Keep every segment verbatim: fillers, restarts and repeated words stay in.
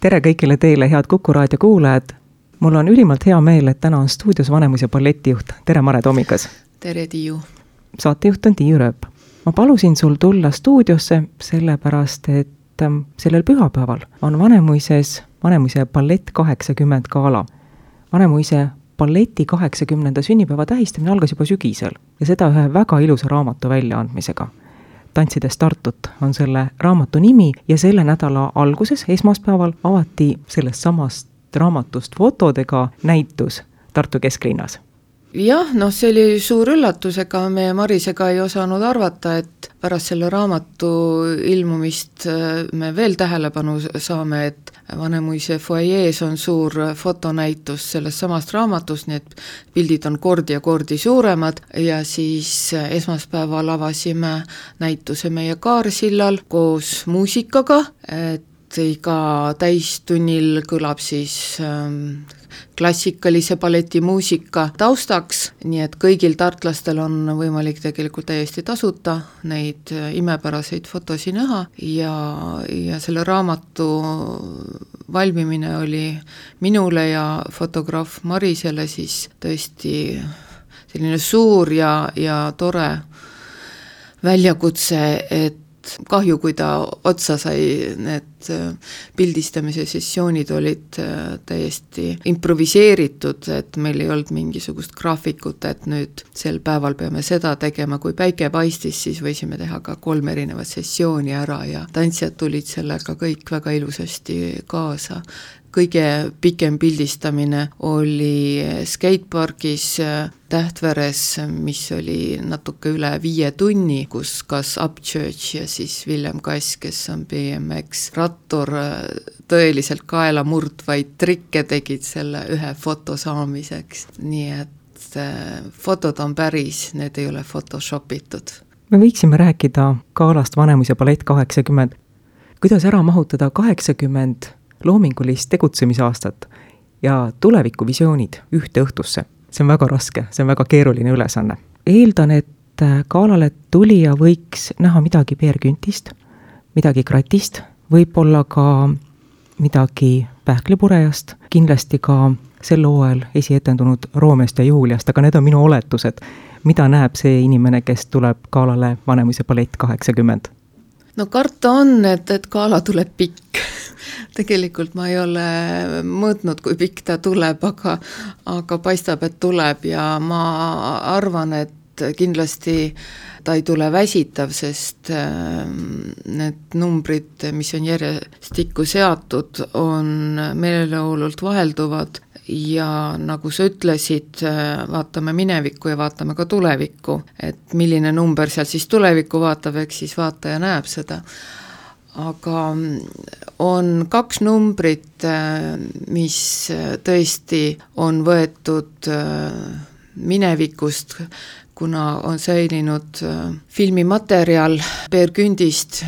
tere kõigile teile, head Kuku raadio kuulajad. Mul on ülimalt hea meel, et täna on stuudios Vanemuise balletijuht. Tere, Mare Tomikas. Tere, Tiiu. Saatejuht on Tiiu Rööp. Ma palusin sul tulla stuudiosse sellepärast, et sellel pühapäeval on Vanemuises Vanemuise ballett kaheksakümmend gala. Vanemuise balleti kaheksakümnenda sünnipäeva tähistamine algas juba sügisel ja seda ühe väga ilusa raamatu väljaandmisega. Tantsides Tartut on selle raamatu nimi ja selle nädala alguses, esmaspäeval, avati sellest samast raamatust fotodega näitus Tartu kesklinnas. Jah, noh, see oli suur üllatus, ega me Marisega ei osanud arvata, et pärast selle raamatu ilmumist me veel tähelepanu saame, et Vanemuise foajees on suur fotonäitus sellest samast raamatust, nii et pildid on kordi ja kordi suuremad ja siis esmaspäeval avasime näituse meie Kaarsillal koos muusikaga, et iga täistunnil kõlab siis ähm, klassikalise balletimuusika taustaks, nii et kõigil tartlastel on võimalik tegelikult täiesti tasuta neid imepäraseid fotosi näha ja, ja selle raamatu valmimine oli minule ja fotograaf Marisele siis tõesti selline suur ja, ja tore väljakutse, et kahju, kui ta otsa sai, need pildistamise sessioonid olid täiesti improviseeritud, et meil ei olnud mingisugust graafikut, et nüüd sel päeval peame seda tegema, kui päike paistis, siis võisime teha ka kolm erinevat sessiooni ära ja tantsijad tulid sellega kõik väga ilusasti kaasa. Kõige pikem pildistamine oli skateparkis Tähtveres, mis oli natuke üle viie tunni, kus kas Upchurch ja siis Villem Kass, kes on B M X rattur, tõeliselt kaela murdvaid trikke tegid selle ühe foto saamiseks. Nii et fotod on päris, need ei ole photoshopitud. Me võiksime rääkida galast Vanemuise ballett kaheksakümmend. Kuidas ära mahutada kaheksakümmend loomingulist tegutsemisaastat ja tulevikuvisioonid ühte õhtusse? See on väga raske, see on väga keeruline ülesanne. Eeldan, et galale tulija võiks näha midagi Peer Güntist, midagi Kratist, võib-olla ka midagi Pähklipurejast, kindlasti ka sel hooajal esietendunud Roomest ja Juuliast, aga need on minu oletused. Mida näeb see inimene, kes tuleb galale Vanemuise ballett kaheksakümmend? No karta on, et, et gala tuleb pikk. Tegelikult ma ei ole mõõtnud, kui pikk ta tuleb, aga, aga paistab, et tuleb ja ma arvan, et kindlasti ta ei tule väsitav, sest need numbrid, mis on järjestikku seatud, on meeleolult vahelduvad ja nagu sa ütlesid, vaatame minevikku ja vaatame ka tulevikku, et milline number seal siis tulevikku vaatab, eks siis vaataja näeb seda. Aga on kaks numbrit, mis tõesti on võetud minevikust, kuna on säilinud filmimaterjal Peer Gündist,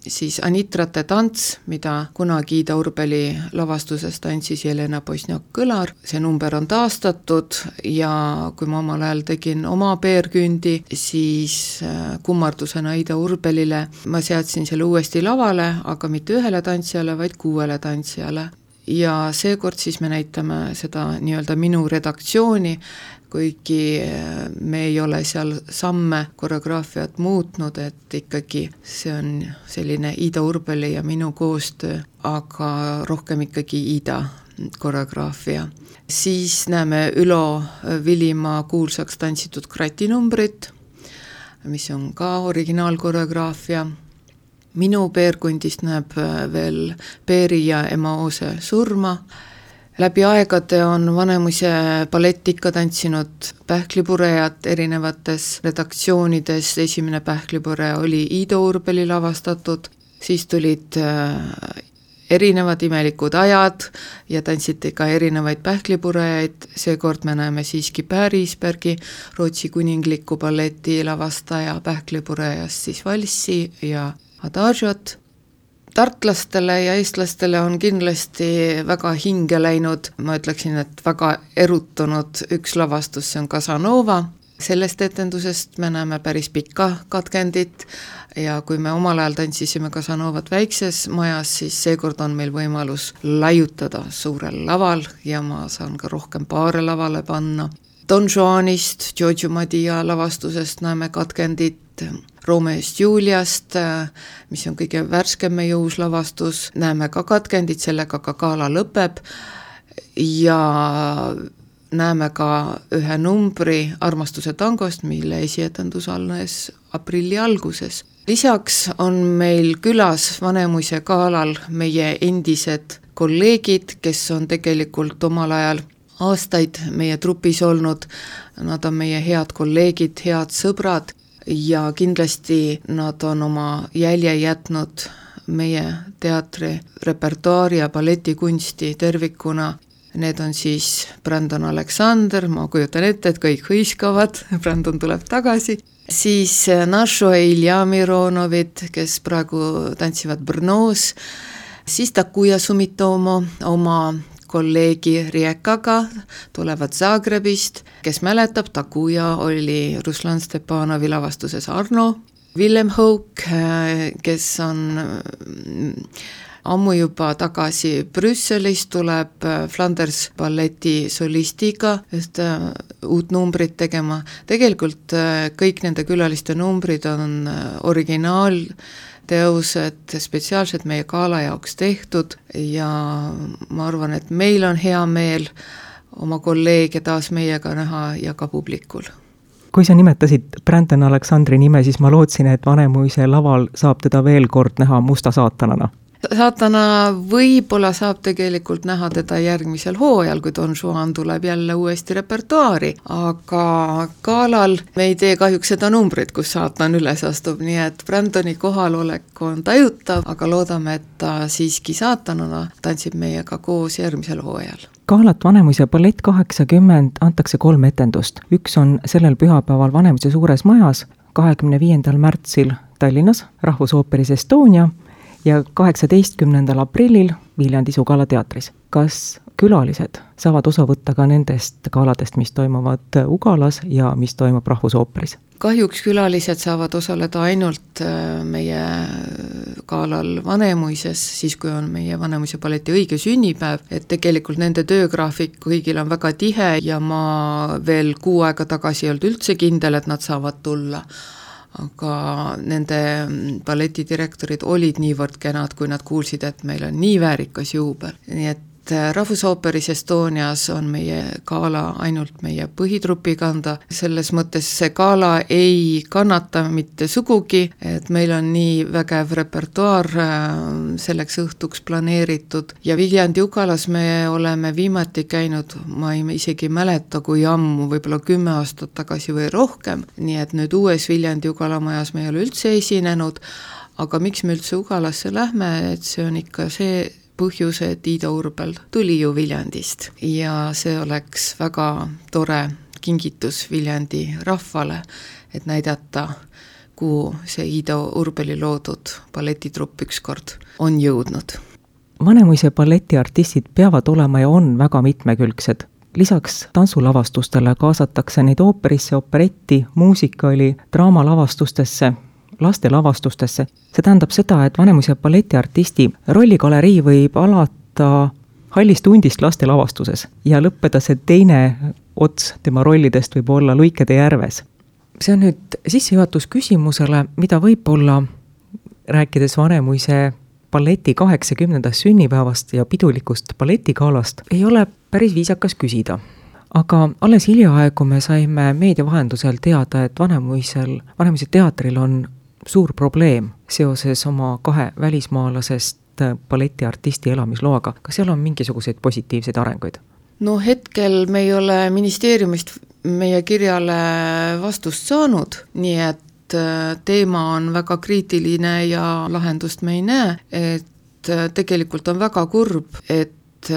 siis Anitrate tants, mida kunagi Ida Urbeli lavastuses tantsis Jelena Bosniak-Kõlar. See number on taastatud ja kui ma omal ajal tegin oma Peer Gündi, siis kummardusena Ida Urbelile ma seadsin selle uuesti lavale, aga mitte ühele tantsijale, vaid kuuele tantsijale. Ja seekord siis me näitame seda nii-öelda minu redaktsiooni, kuigi me ei ole seal samme koreograafiat muutnud, et ikkagi see on selline Ida Urbeli ja minu koostöö, aga rohkem ikkagi Ida koreograafia. Siis näeme Ülo Vilimaa kuulsaks tantsitud kratinumbrit, mis on ka originaalkoreograafia. Minu Peerkundist näeb veel Peeri ja Emma Oose surma. Läbi aegade on Vanemuise ballett ikka tantsinud Pähklipurejat erinevates redaktsioonides. Esimene Pähklipureja oli Ida Urbeli lavastatud, siis tulid erinevad imelikud ajad ja tantsiti ka erinevaid Pähklipurejaid. Seekord me näeme siiski Pärisbergi, Rootsi kuningliku balleti lavastaja Pähklipurejast siis valssi ja Adagiot. Tartlastele ja eestlastele on kindlasti väga hinge läinud, ma ütleksin, et väga erutunud üks lavastus, see on Casanova. sellest etendusest me näeme päris pikka katkendit ja kui me omal ajal tantsisime Casanovat väikses majas, siis seekord on meil võimalus laiutada suurel laval ja ma saan ka rohkem paare lavale panna. Don Juanist, Giorgio Madia lavastusest näeme katkendit, Romeost Juliast, mis on kõige värskem meie uus lavastus, näeme ka katkendit, sellega ka gala lõpeb ja näeme ka ühe numbri Armastuse tangost, mille esietendus alles aprilli alguses. Lisaks on meil külas Vanemuise galal meie endised kolleegid, kes on tegelikult omal ajal aastaid meie trupis olnud, nad on meie head kolleegid, head sõbrad ja kindlasti nad on oma jälje jätnud meie teatri repertuaari ja balletikunsti tervikuna. Need on siis Brandon Aleksander, ma kujutan ette, et kõik hõiskavad, Brandon tuleb tagasi. Siis Našo ja Ilja Mironovid, kes praegu tantsivad Brnos. Siis Takuja Sumitomo oma kolleegi Riekaga tulevad Zagrebist, kes mäletab, Takuja oli Ruslan Stepanovi lavastuses Arno. Willem Houk, kes on ammu juba tagasi Brüsselis, tuleb Flanders balleti solistiga just uut numbrit tegema. Tegelikult kõik nende külaliste numbrid on originaal teosed spetsiaalselt meie gala jaoks tehtud ja ma arvan, et meil on hea meel oma kolleege taas meiega näha ja ka publikul. Kui sa nimetasid Brandon Aleksandri nime, siis ma lootsin, et Vanemuise laval saab teda veel kord näha musta saatanana. Saatana võib-olla saab tegelikult näha teda järgmisel hooajal, kui Don Juan tuleb jälle uuesti repertuaari, aga galal me ei tee kahjuks seda numbrit, kus saatan üles astub, nii et Brandoni kohalolek on tajutav, aga loodame, et ta siiski saatanana tantsib meiega koos järgmisel hooajal. Galat Vanemuise ballett kaheksakümmend antakse kolm etendust. Üks on sellel pühapäeval Vanemuise suures majas, kahekümne viiendal märtsil Tallinnas, Rahvusooperis Estonia ja kaheksateistkümnendal aprillil Viljandi Sugala teatris. Kas külalised saavad osa võtta ka nendest galadest, mis toimuvad Ugalas ja mis toimub Rahvusooperis? Kahjuks külalised saavad osaleda ainult meie galal Vanemuises, siis kui on meie Vanemuise balleti õige sünnipäev, et tegelikult nende töögraafik kõigil on väga tihe ja ma veel kuu aega tagasi ei olnud üldse kindel, et nad saavad tulla. Aga nende balletidirektorid olid niivõrd kenad, kui nad kuulsid, et meil on nii väärikas juubel. Nii et Rahvusooperis Estonias on meie gala ainult meie põhitrupi kanda. Selles mõttes see gala ei kannata mitte sugugi, et meil on nii vägev repertuaar selleks õhtuks planeeritud. Ja Viljandi Ugalas me oleme viimati käinud, ma ei isegi mäleta, kui ammu, võib-olla kümme aastat tagasi või rohkem. Nii et nüüd uues Viljandi Ugala majas me ei ole üldse esinenud, aga miks me üldse Ugalasse lähme, et see on ikka see põhjus, et Iida Urbel tuli ju Viljandist ja see oleks väga tore kingitus Viljandi rahvale, et näidata, kuhu see Iida Urbeli loodud balletitrupp ükskord on jõudnud. Vanemuise balletiartistid peavad olema ja on väga mitmekülgsed. Lisaks tantsulavastustele kaasatakse neid ooperisse, operetti, muusikali, draamalavastustesse, lastelavastustesse. See tähendab seda, et Vanemuise balletiartisti rolligalerii võib alata Hallist hundist lastelavastuses ja lõppeda see teine ots tema rollidest võib olla Luikede järves. See on nüüd sissejuhatus küsimusele, mida võib-olla rääkides Vanemuise balleti kaheksakümnendast sünnipäevast ja pidulikust balletigaalast ei ole päris viisakas küsida. Aga alles hiljaaegu me saime meedia vahendusel teada, et Vanemuisel, Vanemuise teatril on suur probleem seoses oma kahe välismaalasest balletiartisti elamisloaga. Kas seal on mingisuguseid positiivseid arenguid? No hetkel me ei ole ministeeriumist meie kirjale vastust saanud, nii et teema on väga kriitiline ja lahendust me ei näe, et tegelikult on väga kurb, et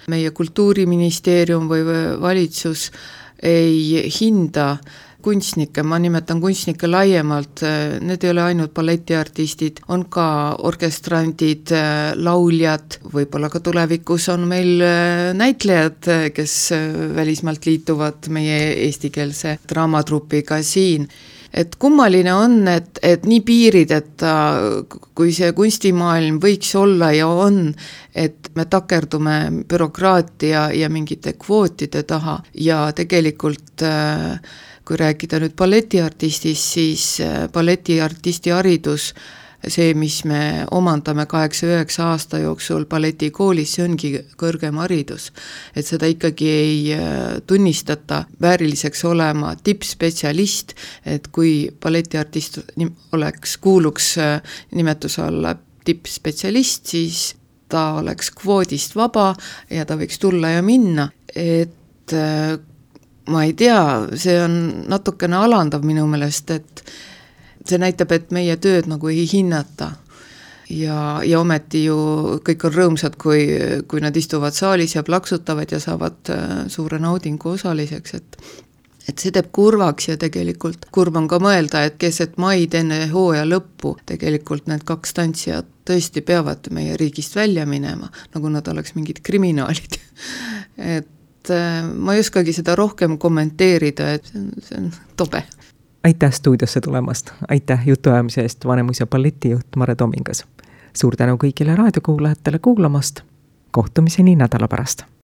meie kultuuriministeerium või valitsus ei hinda kunstnikke, ma nimetan kunstnikke laiemalt, need ei ole ainult balletiartistid, on ka orkestrandid, lauljad, võib-olla ka tulevikus on meil näitlejad, kes välismaalt liituvad meie eestikeelse draamatrupiga siin. Et kummaline on, et, et nii piirideta, kui see kunstimaailm võiks olla ja on, et me takerdume bürokraatia ja mingite kvootide taha ja tegelikult kui rääkida nüüd balletiartistist, siis balletiartisti haridus, see, mis me omandame kaheksa üheksa aasta jooksul balletikoolis, see ongi kõrgem haridus. Et seda ikkagi ei tunnistata vääriliseks olema tippspetsialist, et kui balletiartist oleks, kuuluks nimetuse alla tippspetsialist, siis ta oleks kvoodist vaba ja ta võiks tulla ja minna. Et ma ei tea, see on natukene alandav minu meelest, et see näitab, et meie tööd nagu ei hinnata ja, ja ometi ju kõik on rõõmsad, kui, kui nad istuvad saalis ja plaksutavad ja saavad suure naudingu osaliseks, et, et see teeb kurvaks ja tegelikult kurb on ka mõelda, et keset maid enne hooaja lõppu tegelikult need kaks tantsijat tõesti peavad meie riigist välja minema, nagu nad oleks mingid kriminaalid. Et ma ei oskagi seda rohkem kommenteerida, et see on, see on tobe. Aitäh stuudiosse tulemast, aitäh jutuajamise eest Vanemuise balletijuht Mare Tomingas. Suur tänu kõigile raadiokuulajatele kuulamast, kohtumiseni nädala pärast.